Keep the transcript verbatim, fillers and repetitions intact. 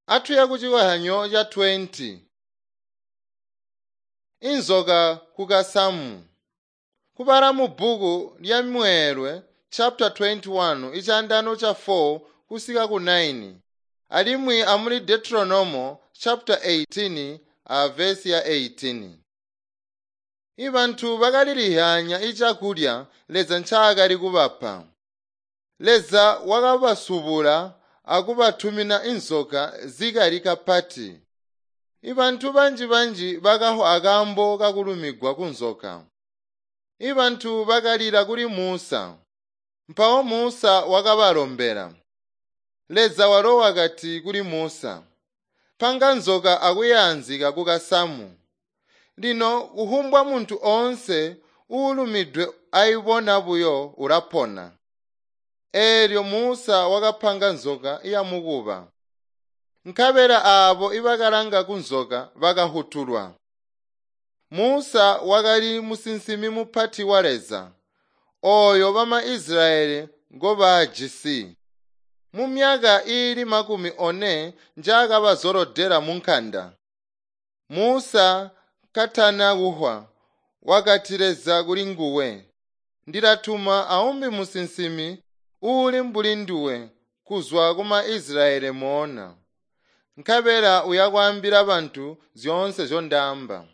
Atuye kucikozyanyo ca twenty. Inzoka ku kasamu. Kubala mu bbuku lya Mweelwe chapter twenty-one icandano ca four kusika ku nine alimwi amuli Deuteronomo chapter eighteen a verse ya eighteen. Ibantu bakalilihyanya icakulya Leza ncaakali kubapa. Leza wakabasubula akubatumina inzoka zikali kapati. Ibantu banji-banji bakafwa akaambo kakulumigwa kunzoka. Ibantu bakalila kuli Musa. Mpawo Musa wakabalombela. Leza walo wakati kuli Musa, "Panga nzoka akuyaanzika ku kasamu. Lino kufumbwa muntu oonse uulumidwe aibona buyo ulapona." Eelyo Musa wakapanga nzoka yamukuba. Nkabela aabo ibakalanga kunzoka bakafutulwa. Musa wakali musinsimi mupati wa Leza, ooyo bama Isilayeli ngobaajisi. Mumyaka iili makumi one njaakabazolodela munkanda. Musa katana kufwa, wakati Leza kuli nguwe, "Ndilatuma aumbi musinsimi uuli mbuli nduwe kuzwa kuma Isilayeli moona. Nkabela uyakwaambila bantu zyoonse nzyondaamba."